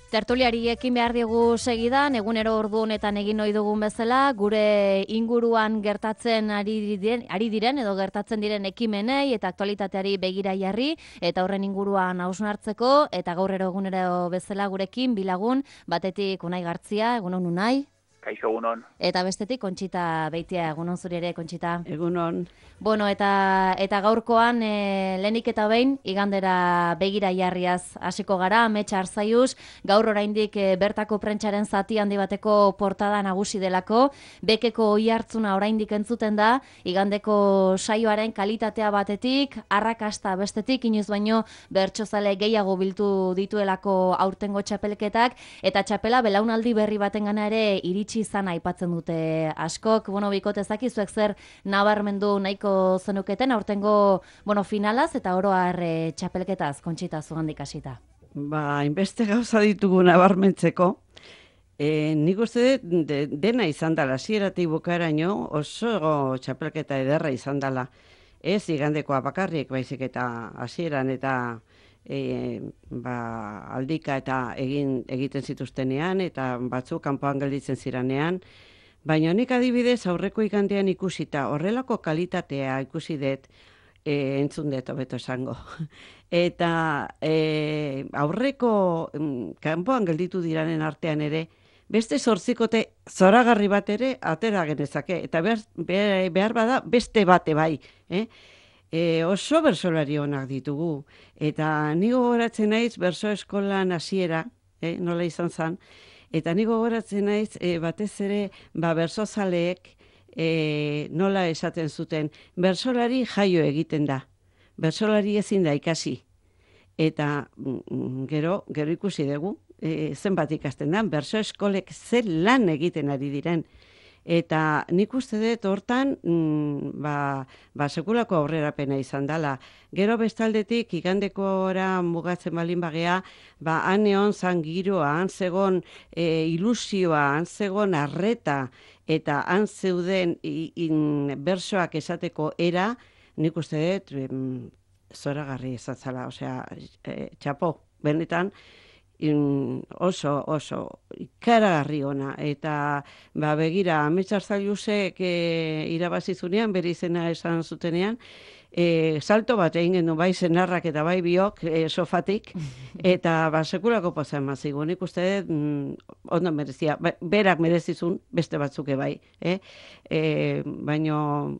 Tertuliari ekin behar diegu segidan, egunero ordu honetan egin ohi dugun bezala, gure inguruan gertatzen ari diren edo gertatzen diren ekimenei eta aktualitateari begira jarri, eta horren inguruan hausnartzeko, eta gaur egunero bezala gurekin bilagun, batetik Unai Gartzia, egunon Unai. Kaixo, egunon. Eta bestetik Kontxita Beitia, egunon zuri ere, Kontxita. Egunon. Bueno, eta gaurkoan lehenik eta behin igandera begira jarriaz hasiko gara, Ametsa Arzaiuz, gaur oraindik bertako prentsaren zati handi bateko portada nagusi delako, bekeko oihartzuna oraindik entzuten da, igandeko saioaren kalitatea batetik, arrakasta bestetik, inoiz baino bertsozale gehiago biltu dituelako aurtengo txapelketak, eta txapela belaunaldi berri batengana ere iritsi izan aipatzen dute askok. Bueno, bikote zakizuek zer nabarmendu nahiko zenuketen aurtengo finalaz eta oro har txapelketaz, Kontxita, zugandik hasita. Inbeste gauza ditugu nabarmentzeko. Nik uste dena izan dela, hasieratik bukaeraino oso txapelketa ederra izan dela. Ez igandekoa bakarrik, baizik eta hasieran eta aldika eta egiten zituztenean, eta batzuk kanpoan gelditzen ziranean. Baina nik adibidez aurreko igandean ikusita, horrelako kalitatea ikusi dut, entzun dut hobeto esango. Eta aurreko kanpoan gelditu diranen artean ere, beste 8 zoragarri bat ere atera genezake, eta behar bada beste bate bai. Oso bertsolari onak ditugu, eta ni gogoratzen naiz bertso eskolan hasiera, nola izan zen, eta ni gogoratzen naiz batez ere bertsozaleek nola esaten zuten, bertsolari jaio egiten da, bertsolari ezin da ikasi. Eta gero ikusi dugu, zenbat ikasten da, bertso eskolek zer lan egiten ari diren. Eta nik uste dut hortan sekulako aurrerapena izan dela. Gero bestaldetik igandekora mugatzen balin bagea, han egon zan giroa, han zegon ilusioa, han zegon arreta, eta han zeuden bersoak esateko era, nik uste dut zoragarri ezatzala, osea, txapo, benetan, oso ikaragarri ona, eta begira, Ametsa Arzaiuzek irabazizunean, bere izena esan zutenean, salto bat egin gendu bai senarrak eta bai biok sofatik, eta sekulako poza emazigu, nik uste ondo merezia, berak merezizun beste batzuke bai, baino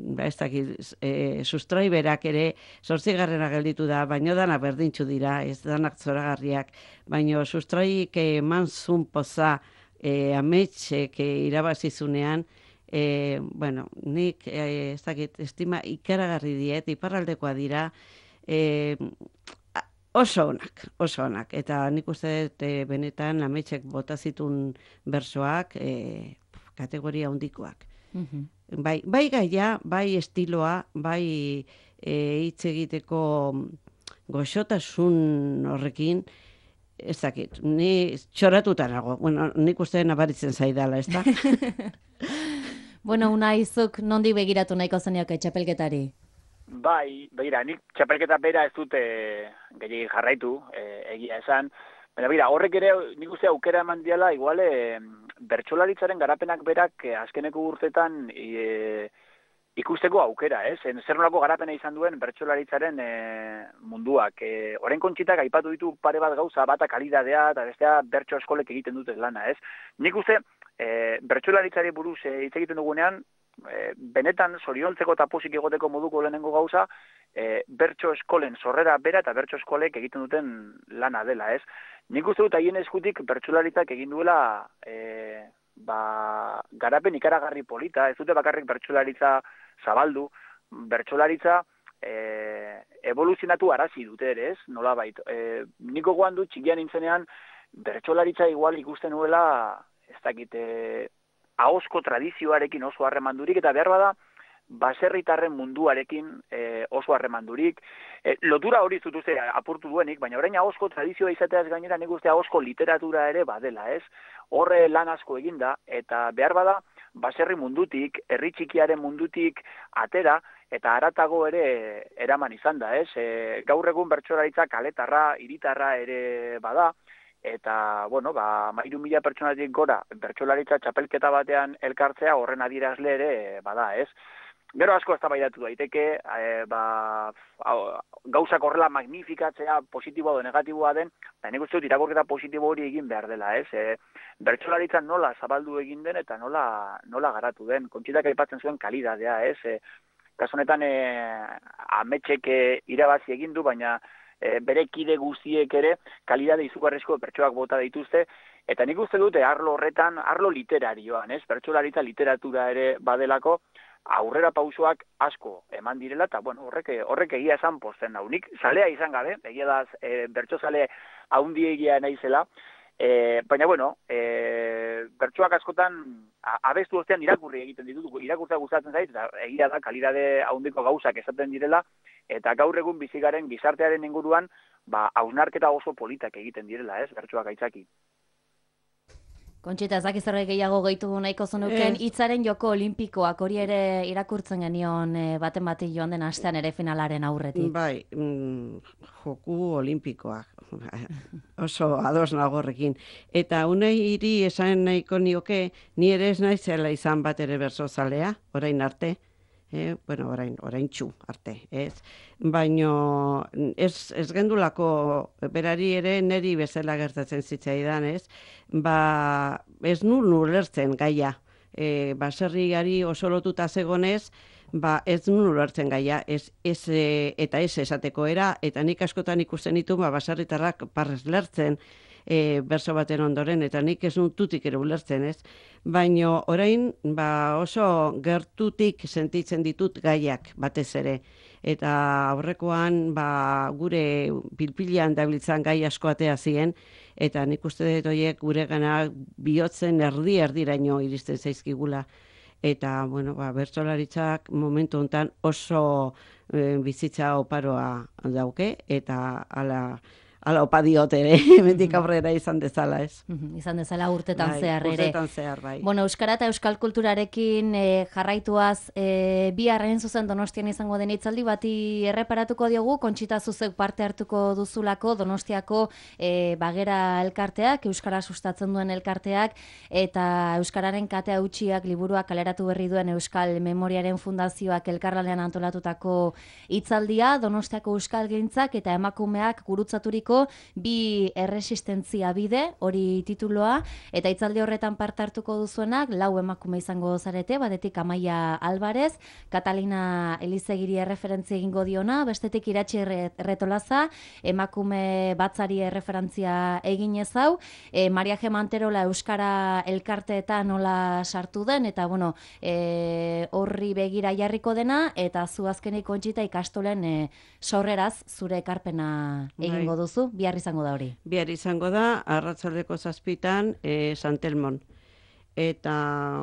ez dakit, sustrai berak ere 8. gelditu da, baino danak berdintxu dira, ez danak zoragarriak, baino sustraik eman zun poza Ametsek irabazizunean, nik ez dakit, estima ikaragarri diet, iparraldekoa dira, oso onak, eta nik uste dut benetan Ametsek bota zitun bersoak kategoria handikoak. Bai gaia, bai estiloa, bai hitz egiteko goxotasun horrekin, ez dakit, ni txoratuta nago, nik uste nabaritzen zaidala, ez da? Unai, zuk nondik begiratu nahiko zenioke txapelketari? Bai, begira, nik txapelketa bera ez dute gehiagin jarraitu, egia esan. Baina, horrek ere nik uste aukera eman diala, igual, bertsolaritzaren garapenak berak azkeneko urtetan ikusteko aukera, ez? Zer nolako garapena izan duen bertsolaritzaren munduak. Orain Kontxitak aipatu ditu pare bat gauza, bata kalidadea eta bestea bertso eskolek egiten dute lana, ez? Nik uste bertsolaritzari buruz hitz egiten dugunean, benetan zoriontzeko eta pozik egoteko moduko lehenengo gauza, bertso eskolen sorrera bera eta bertso eskolek egiten duten lana dela, ez? Nik uste dut haien eskutik bertsolaritzak egin duela garapen ikaragarri polita, ez dute bakarrik bertsolaritza zabaldu, bertsolaritza evoluzionatu arazi dute ere, ez? Nolabait. Niko gogoan dut txikian nintzenean bertsolaritza igual ikusten nuela, ez dakit, ahozko tradizioarekin oso harremandurik, eta behar bada baserritarren munduarekin oso harremandurik. Lotura hori zutuzte apurtu duenik, baina orain ahozko tradizioa izateaz gainera nik uste ahozko literatura ere badela, ez? Horre lan asko eginda, eta behar bada baserri mundutik, herri txikiaren mundutik atera, eta haratago ere eraman izan da, ez? Gaur egun bertsolaritza kaletarra, hiritarra ere bada, eta, bueno, 3.000 pertsonatik gora bertsolaritza txapelketa batean elkartzea horren adierazle ere bada, ez? Gero asko eztabaidatu daiteke, gauzak horrela magnifikatzea positiboa edo negatiboa den, nik uste dut irakurketa positibo hori egin behar dela, ez? Bertsolaritza nola zabaldu egin den eta nola garatu den. Kontxitak aipatzen zuen kalidadea, ez? Kasu honetan ametxek irabazi egin du, baina bere kide guztiek ere kalidade izugarrizko bertsoak bota dituzte, eta nik uste dute arlo horretan, arlo literarioan, ez? Bertsolaritza literatura ere badelako, aurrera pausoak asko eman direla, eta bueno, horrek egia esan posten nau. Nik salea izan gabe, egia da bertso sale haundiegia naizela, baina bueno, bertsoak askotan abestu ostean irakurri egiten ditut, irakurtzea gustatzen zait, eta egia da kalidade haundiko gauzak esaten direla, eta gaur egun bizigaren gizartearen inguruan, hausnarketa oso politak egiten direla, ez, bertsoak aitzaki. Kontxita, ez dakiz zerbait gehiago gehitu nahiko zenuken, hitzaren joko olimpikoak hori ere irakurtzen genion baten bati joan den astean ere finalaren aurretik. Bai, joku olimpikoak, oso ados nagorrekin. Eta unei hiri esan nahiko nioke, ni ere ez naizela izan bat ere bersozalea, orain arte. Bueno, orain txu arte, ez? Baino ez gendulako berari ere neri bezala gertatzen zitzaidan, ez? Ez nuen ulertzen gaia. Baserriari oso lotuta zegonez, ez nuen ulertzen gaia, eta ez esateko era, eta nik askotan ikusten ditu baserritarrak parrez lertzen, berso baten ondoren, eta nik ez tutik ere ulertzen, ez? Baina orain oso gertutik sentitzen ditut gaiak batez ere. Eta aurrekoan gure pilpilean dabiltzan gai asko atea ziren, eta nik uste dut horiek gure gana bihotzen erdiraino iristen zaizkigula. Eta, bueno, bertsolaritzak momentu honetan oso bizitza oparoa dauke, eta ala opa diot ere, hemendik aurrera izan dezala, ez? Izan dezala urtetan zehar ere. Urtetan zehar, bai. Bueno, euskara eta euskal kulturarekin jarraituaz, biharren zuzen Donostian izango den hitzaldi bati erreparatuko diogu, Kontxita zuzek parte hartuko duzulako Donostiako bagera elkarteak, euskara sustatzen duen elkarteak, eta euskararen katea utxiak liburuak kaleratu berri duen Euskal Memoriaren Fundazioak elkarlanean antolatutako hitzaldia, Donostiako euskalgintzak eta emakumeak gurutzaturiko bi erresistentzia bide, hori tituloa, eta hitzaldi horretan parte hartuko duzuenak, 4 emakume izango zarete, batetik Amaia Alvarez, Catalina Elizegiri erreferentzia egingo diona, bestetik Iratxi Retolaza, emakume batzari erreferentzia egin ezau, Maria G. Manterola euskara elkarteetan nola sartu den, eta bueno, horri begira jarriko dena, eta zu azkenik Kontxita ikastolen sorreraz zure ekarpena egingo duzu. Bihar izango da hori. Bihar izango da, arratsaldeko 7:00 Santelmon. Eta,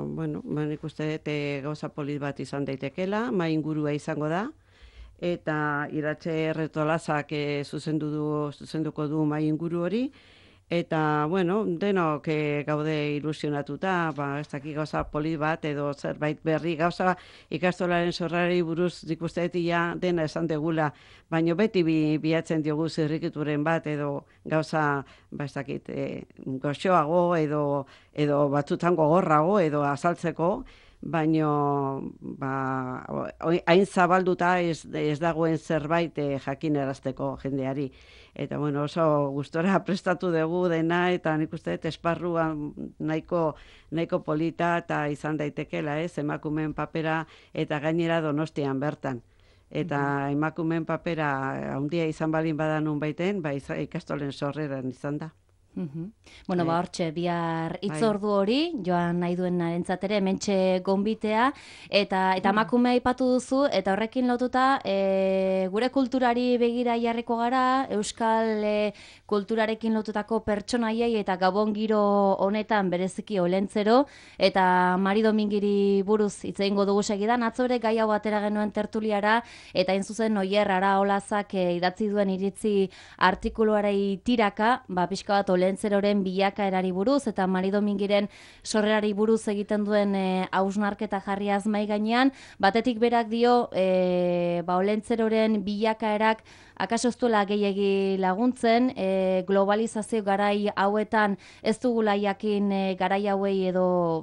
bueno, nik uste dut gauza polit bat izan daitekela, mai ingurua izango da, eta Iratxe Retolazak zuzenduko du mai inguru hori, eta, bueno, denok gaude ilusionatuta, ez dakik gauza polit bat edo zerbait berri, gauza ikastolaren sorrari buruz ikustetia dena esan degula, baina beti bilatzen diogu zirrikituren bat edo gauza, ez dakit, goxoago edo batzutan gogorrago edo azaltzeko, baino hain zabalduta ez dagoen zerbait jakinarazteko jendeari. Eta bueno, oso gustora prestatu dugu dena, eta nik uste dut esparruan nahiko polita eta izan daitekela, emakumeen papera eta gainera Donostian bertan. Eta emakumeen papera handia izan balin badan nunbaiten, ikastolen sorreran izan da. Bueno, hortxe, bihar hitzordu hori, joan nahi duen narentzatere, hementxe gonbitea, eta emakumea aipatu duzu, eta horrekin lotuta, gure kulturari begira jarriko gara, euskal kulturarekin lotutako pertsonaiei eta gabon giro honetan bereziki olentzero, eta Mari Domingiri buruz hitz egingo dugu segidan, atzore gai hau atera genuen tertuliara, eta hain zuzen Oier Araolazak idatzi duen iritzi artikuluarei tiraka, pixka bat Olentzeroren bilakaerari buruz eta Mari Domingiren sorrerari buruz egiten duen hausnarketa jarriaz mai gainean, batetik berak dio Olentzeroren bilakaerak akaso ez duela gehiegi laguntzen, globalizazio garai hauetan ez dugula jakin garai hauei edo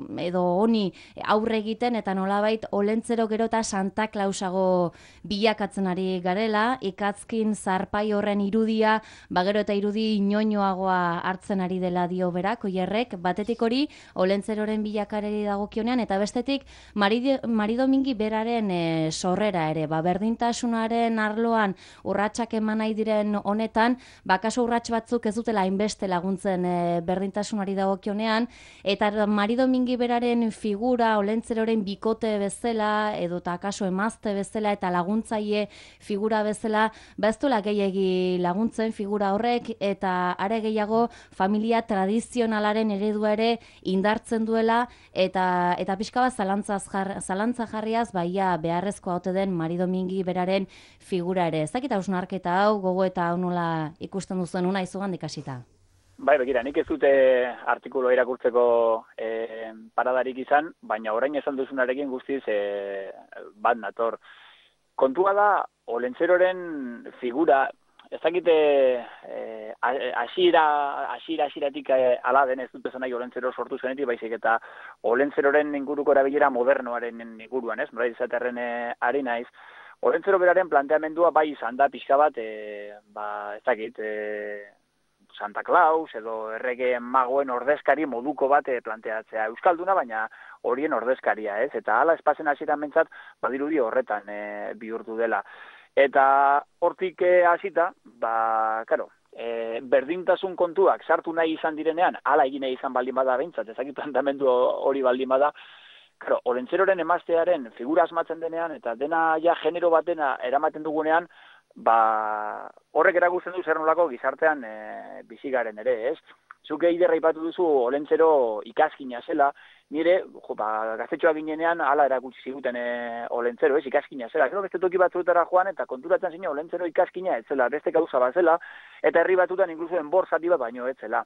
honi aurre egiten, eta nolabait Olentzero gero eta Santa Clausago bilakatzen ari garela, ikatzkin zarpai horren irudia, gero eta irudi inoinoagoa hartzen ari dela dio berak, Oierrek, batetik hori Olentzeroren bilakareri dagokionean, eta bestetik Mari Domingi beraren sorrera ere, berdintasunaren arloan urratsak eman nahi diren honetan, kaso urrats batzuk ez dutela hainbeste laguntzen berdintasunari dagokionean, eta Mari Domingi beraren figura Olentzeroren bikote bezala, edo eta kaso emazte bezala eta laguntzaile figura bezala, ez duela gehiegi laguntzen figura horrek, eta are gehiago familia tradizionalaren eredua ere indartzen duela, eta pixka bat zalantza jarriaz, beharrezkoa ote den Mari Domingi beraren figura ere. Ez dakit hausnarketa hau, gogo eta hau nola ikusten duzuen una izugandik hasita. Bai, begira, nik ez dute artikulo irakurtzeko paradarik izan, baina orain esan duzunarekin guztiz bat nator. Kontua da, Olentzeroren figura, ez dakite hasieratik ala den, ez dut esan nahi Olentzero sortu zenetik, baizik eta Olentzeroren inguruko erabilera modernoaren inguruan, ez? Nola izaterren ari naiz. Olentzero beraren planteamendua bai izan da pixka bat, ez dakit, Santa Claus edo errege magoen ordezkari moduko bat planteatzea. Euskalduna, baina horien ordezkaria, ez? Eta hala espazen hasieran mentzat, badirudi horretan bihurtu dela. Eta hortik hasita, berdintasun kontuak sartu nahi izan direnean, hala egin nahi izan baldin bada behintzat, ezakit planteamendu hori baldin bada, Olentzeroren emaztearen figura asmatzen denean, eta dena ja genero batena eramaten dugunean, horrek erakusten du zer nolako gizartean bizigaren ere, ez? Zuke iderra ipatu duzu Olentzero ikaskina zela, nire, gaztetxoa ginenean hala erakutsi ziguten Olentzero, ez, ikaskina zela. Gero beste toki batzuetara joan eta konturatzen zine Olentzero ikaskina ez zela, beste gauza bat zela, eta herri batzutan inkluso enbor zati bat baino ez zela.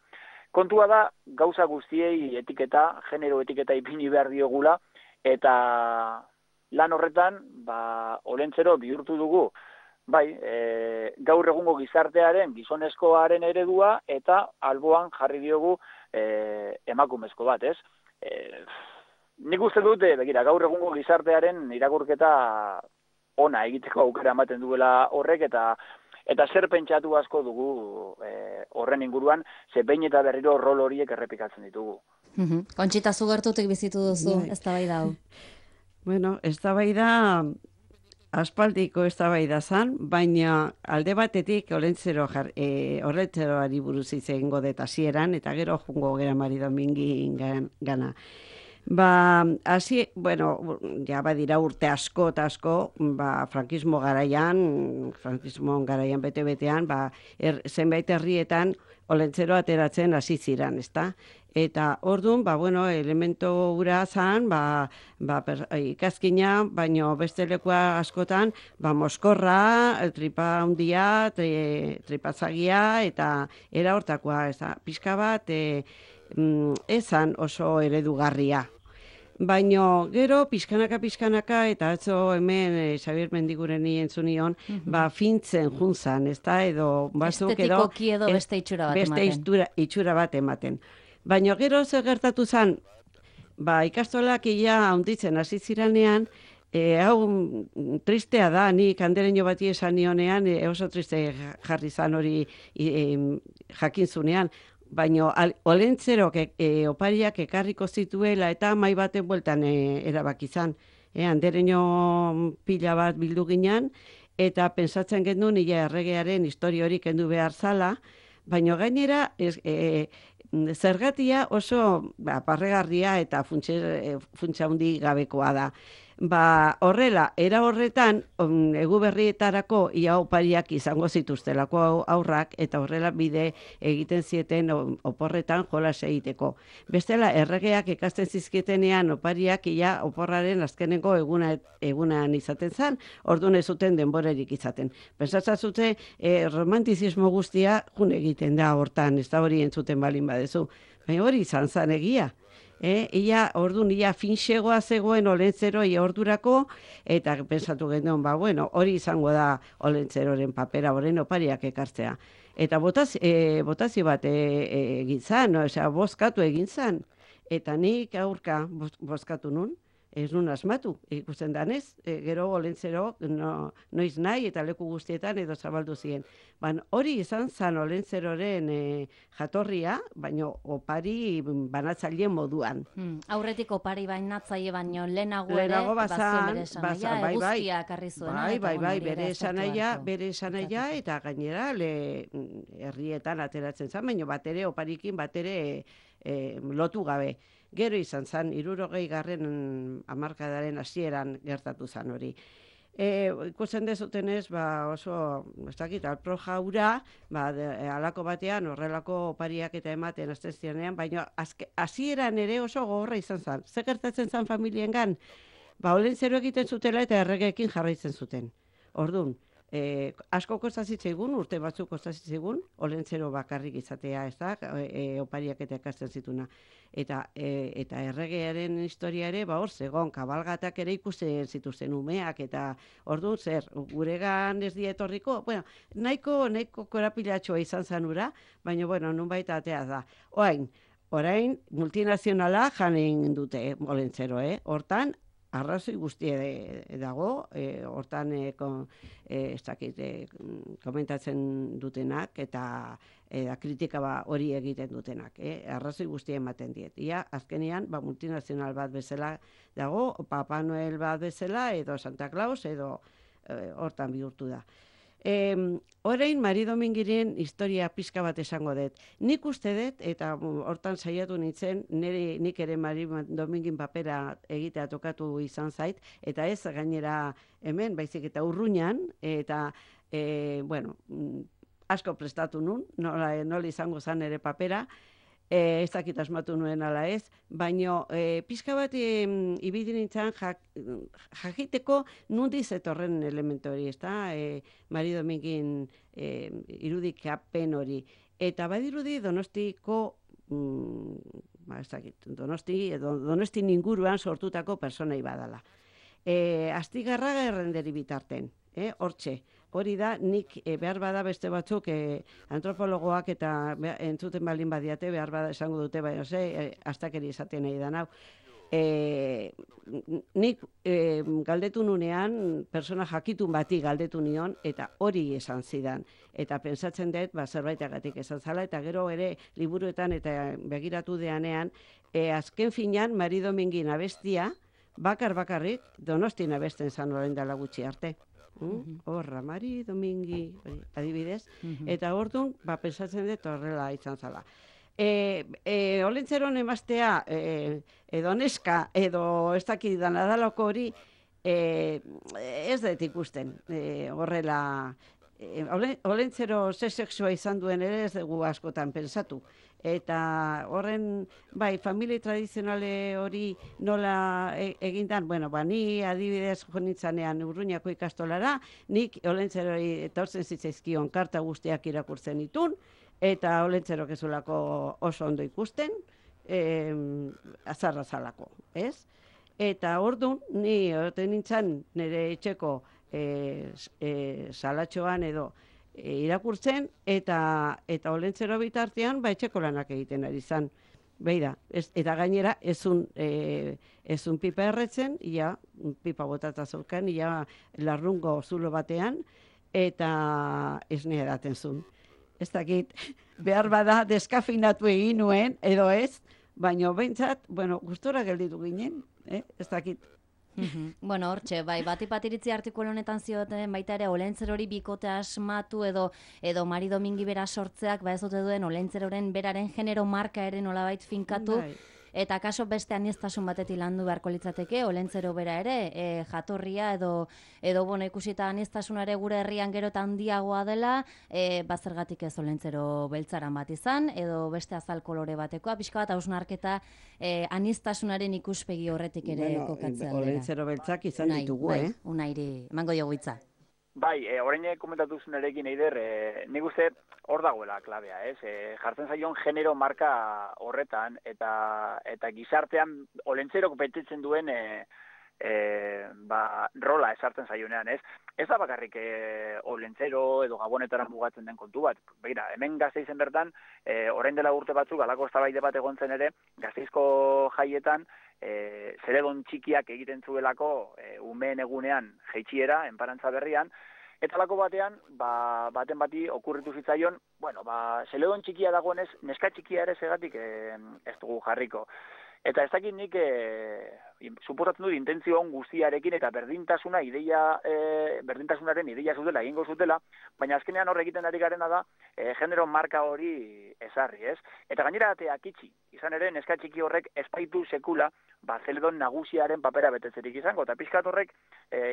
Kontua da, gauza guztiei etiketa, genero etiketa ipini behar diogula, eta lan horretan, Olentzero bihurtu dugu, gaur egungo gizartearen, gizonezkoaren eredua, eta alboan jarri diogu emakumezko bat, ez? Nik uste dut, gaur egungo gizartearen irakurketa ona egiteko aukera ematen duela horrek, eta zer pentsatu asko dugu horren inguruan, ze behin eta berriro rol horiek errepikatzen ditugu. Kontxita Zugertutik bizitu duzu, eztabaida hau. Bueno, eztabaida aspaldiko eztabaida zan, baina alde batetik Olentzeroari buruz hitz egingo dut hasieran, eta gero jungo gera Mari Domingi gana. Ja badira urte asko eta asko, frankismo garaian bete-betean, zenbait herrietan Olentzero ateratzen hasi ziren, ezta? Eta orduan, elemento hura zan, ikaskina, baino beste lekua askotan, moskorra, tripa handia, tripatzagia, eta era hortakoa, pixka bat, ezan oso eredugarria. Baino gero, pixkanaka, eta atzo hemen Xabier Mendigureni entzunion, fintzen juntzan, ezta, edo batzuk edo... Estetikoki edo beste itxura bat ematen. Beste itxura bat ematen. Baina gero zer gertatu zen, ikastolak ia handitzen hasi ziranean, hau tristea da, nik andereño bati esan nionean, oso triste jarri zan hori jakin zunean, baina Olentzerok opariak ekarriko zituela eta mai baten bueltan erabaki zan. Andereño pila bat bildu ginen, eta pentsatzen genuen ia erregearen historia hori kendu behar zala, baina gainera zergatia oso parregarria eta funtsa handi gabekoa da. Horrela, era horretan, Eguberrietarako ia opariak izango zituztelako aurrak, eta horrela bide egiten zieten oporretan jolas egiteko. Bestela, erregeak ikasten zizkietenean opariak ia oporraren azkeneko egunan izaten zen, orduan ez zuten denborerik izaten. Pentsatzen zute, romantizismo guztia jun egiten da hortan, ez da hori entzuten balin badezu. Baina hori izan zan egia. Orduan, finxegoa zegoen Olentzero ordurako, eta pensatu genuen, hori izango da Olentzeroren papera, horren opariak ekartzea. Eta botazio bat egin zan, bozkatu egin zan. Eta nik aurka bozkatu nun, ez nun asmatu, ikusten danez, gero Olentzero noiz nahi eta leku guztietan edo zabaldu ziren. Hori izan zan Olentzeroren jatorria, baina opari banatzaile moduan. Aurretik opari bainatzaile baino lehenago ere, bazuen bere esanaia, eguzkia karri zuena. Bai, bere esanaia eta gainera herrietan ateratzen zan, baina batere oparikin batere lotu gabe. Gero izan zen, 60. hamarkadaren hasieran gertatu zen hori. Ikusten dezutenez, oso, ez dakit, alpro jaura, halako batean, horrelako opariak eta ematen azten zirenean, baina hasieran ere oso gogorra izan zen. Ze gertatzen zen familiengan? Olentzero egiten zutela eta erregeekin jarraitzen zuten. Orduan, asko kostazitzaigun, urte batzuk kostazitzaigun, Olentzero bakarrik izatea, ez da, opariak eta ikasten zituna. Eta erregearen historia ere, hor zegoen, kabalgatak ere ikusten zituzten umeak, eta orduan zer, guregan ez dietorriko, nahiko korapilatxoa izan zanura, baina, nunbait atea da. Orain, multinazionala janen dute Olentzero, hortan, arrazoi guztie dago, hortan komentatzen dutenak eta kritika hori egiten dutenak. Arrazoi guztie ematen diet. Azkenean, multinazional bat bezala dago, Papa Noel bat bezala, edo Santa Claus, edo hortan bihurtu da. Orain, Mari Domingiren historia pixka bat esango dut. Nik uste dut, eta hortan saiatu nintzen, nik ere Mari Domingin papera egitea tokatu izan zait, eta ez gainera hemen, baizik eta Urruñan, eta, asko prestatu nun, nola izango zan ere papera, ez dakit asmatu nuen ala ez, baina pixka bat ibili nintzen jakiteko nundiz etorren elementu hori, ez da, Mari Domingin irudikapen hori. Eta badirudi Donostiko, ez dakit, Donosti inguruan sortutako personai badala. Astigarraga errenderi bitarten, hortxe. Hori da, nik behar bada beste batzuk antropologoak eta entzuten baldin badiate, behar bada esango dute, baina astakeri esaten nahi da nau. Nik galdetu nunean, persona jakitun bati galdetu nion, eta hori esan zidan. Eta pentsatzen dut, zerbaitagatik esan zala, eta gero ere liburuetan eta begiratu deanean, azken finean, Mari Domingin abestia, bakarrik, Donostin abesten zan orain dela gutxi arte. Horra, Mari Domingi, adibidez, eta orduan, pentsatzen dut horrela izan zala. Olentzeron emaztea, edo neska, edo ez dakidan adalako hori, ez dut ikusten, horrela, Olentzero ze sexua izan duen ere ez dugu askotan pensatu. Eta horren, familia tradizionale hori nola egindan, ni adibidez jonitzanean Urruñako ikastolara, nik Olentzerori etortzen zitzaizkion karta guztiak irakurtzen ditun, eta Olentzerok ezulako oso ondo ikusten, azarra zalako, ez? Eta orduan, ni oten nintzen nire etxeko salatxoan edo irakurtzen, eta Olentzero bitartean etxeko lanak egiten ari zan. Beira, eta gainera ezun pipa erretzen, pipa botata zaukan, larrungo zulo batean, eta esne edaten zuen. Ez dakit, behar bada deskafinatu egin nuen, edo ez, baina behintzat, gustora gelditu ginen, ez dakit. Hortxe, bati-patiritzi artikulu honetan zioten baita ere Olentzerori bikote asmatu edo Mari Domingi bera sortzeak ez dute duen Olentzeroren beraren genero marka ere nolabait finkatu, Eta kaso beste aniztasun batetik landu beharko litzateke, olentzero bera ere, jatorria edo bueno, ikusita aniztasunare gure herrian gero eta handiagoa dela, bazergatik ez olentzero beltzaran bat izan, edo beste azal kolore batekoa, pixka bat hausnarketa aniztasunaren ikuspegi horretik ere kokatzea aldera. Olentzero beltzak izan ditugu, Unairi, emango jogu hitza. Bai, orain komentatu zunerekin Eider, nik uste hor dagoela klabea, ez? Jartzen zaion genero marka horretan, eta gizartean olentzerok betetzen duen rola esartzen zaionean, ez? Ez da bakarrik olentzero edo gabonetara mugatzen den kontu bat. Begira, hemen Gasteizen bertan, orain dela urte batzuk, alako eztabaide bat egon zen ere, Gasteizko jaietan, zeledon txikiak egiten zuelako umeen egunean jeitsiera, enparantza berrian, eta alako batean, baten bati okurritu zitzaion, bueno, zeledon txikia dagoenez, neska txikia ere segatik ez dugu jarriko. Eta ez dakit nik, suposatzen dut intentzio on guztiarekin eta berdintasunaren ideia zutela, egingo zutela, baina azkenean hor egiten ari garena da, genero marka hori ezarri, ez? Eta gainera ateak itxi, izan ere, neska txiki horrek espaitu sekula, zeledon nagusiaren papera betetzerik izango, eta pixkat horrek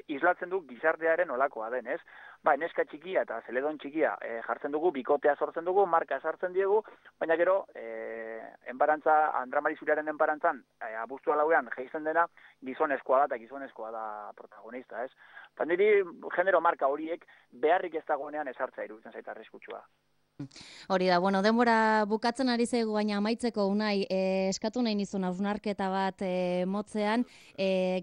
islatzen du gizartearen olakoa den, ez? Neska txikia eta zeledon txikia jartzen dugu, bikotea sortzen dugu, marka sartzen diegu, baina gero, Andra Marizuriaren enparantzan, abuztua lauean geizten dena, gizonezkoa da eta gizonezkoa da protagonista, ez? Eta niri genero marka horiek beharrik ez dagoenean esartzea iruditzen zaita arriskutsua. Hori da, bueno, denbora bukatzen ari zaigu, baina amaitzeko Unai, eskatu nahi nizun hausnarketa bat motzean,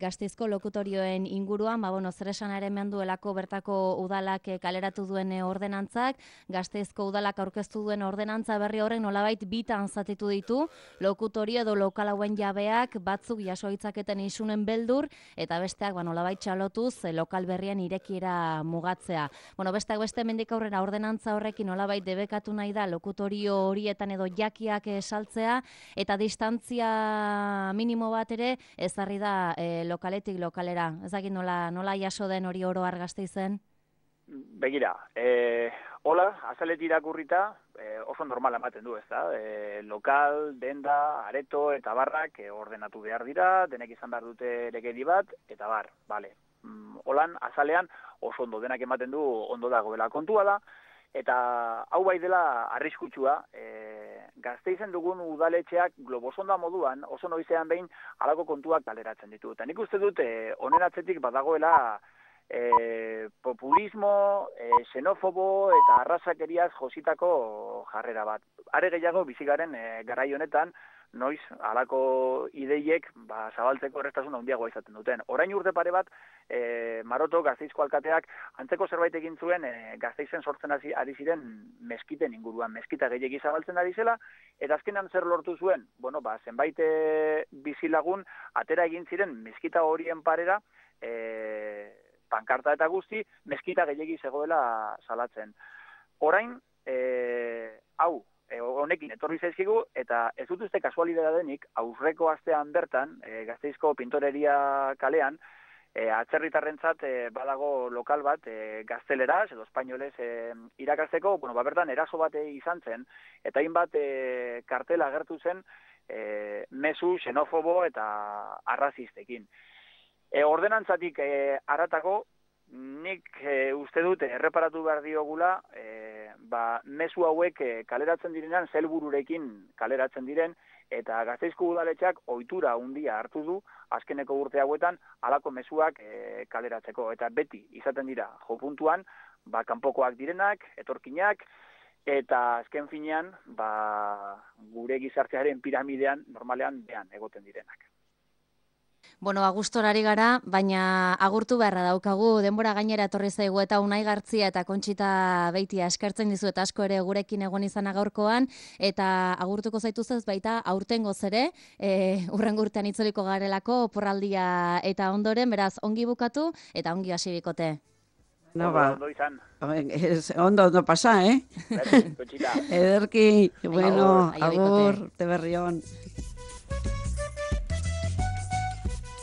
Gasteizko lokutorioen inguruan, zer esanaren menduelako bertako udalak kaleratu duen ordenantzak, Gasteizko udalak aurkeztu duen ordenantza berri horrek nolabait bitan zatitu ditu, lokutorio edo lokal hauen jabeak batzuk jaso hitzaketen isunen beldur, eta besteak nolabait txalotuz lokal berrian irekiera mugatzea. Besteak beste mendik aurrera ordenantza horrekin nolabait debekatu nahi da lokutorio horietan edo jakiak saltzea, eta distantzia minimo bat ere ezarri da lokaletik lokalera. Ez dakit nola jaso den hori oro har Gasteizen? Begira, hola, azaletik irakurrita oso normal ematen du, ez da? Lokal, denda, areto eta barrak ordenatu behar dira, denek izan behar dute legedi bat, eta bar, bale. Holan, azalean oso ondo denak ematen du ondo dagoela kontua da, eta hau bai dela arriskutsua, Gasteizen dugun udaletxeak globosonda moduan, oso noizean behin halako kontuak kaleratzen ditu. Eta nik uste dut, honen atzetik badagoela populismo, xenofobo eta arrazakeriaz jositako jarrera bat. Are gehiago bizigaren garai honetan, noiz halako ideiek zabaltzeko errestasun handiagoa izaten duten. Orain urte pare bat, Maroto, Gasteizko alkateak, antzeko zerbait egin zuen Gasteizen sortzen ari ziren meskiten inguruan, meskita gehiegi zabaltzen ari zela, eta azkenan zer lortu zuen? Zenbait bizilagun atera egin ziren meskita horien parera, pankarta eta guzti, meskita gehiegi zegoela salatzen. Orain, honekin etorri zaizkigu, eta ez dut uste kasualidadea denik, aurreko astean bertan, Gasteizko Pintoreria kalean, atzerritarrentzat badago lokal bat gazteleraz edo espainolez irakasteko, bertan eraso bat izan zen, eta hainbat kartela agertu zen mezu, xenofobo eta arrazistekin. Ordenantzatik haratago, nik uste dut erreparatu behar diogula, mezu hauek kaleratzen direnean, zelbururekin kaleratzen diren, eta Gasteizko udaletxeak ohitura handia hartu du, azkeneko urte hauetan, halako mezuak kaleratzeko. Eta beti izaten dira, jopuntuan, kanpokoak direnak, etorkinak, eta azken finean, gure gizartearen piramidean, normalean, behan egoten direnak. Agustorari gara, baina agurtu beharra daukagu, denbora gainera etorri zaigu eta Unai Gartzia eta Kontxita Beitia eskertzen dizu eta asko ere gurekin egon izana gaurkoan, eta agurtuko zaituzez baita aurtengoz ere, hurrengo urtean itzuliko garelako oporraldia eta ondoren, beraz ongi bukatu eta ongi hasi bikote. Ondo izan. Ondo pasa, Berdin, Kontxita. Ederki, bueno, agur, te berrión.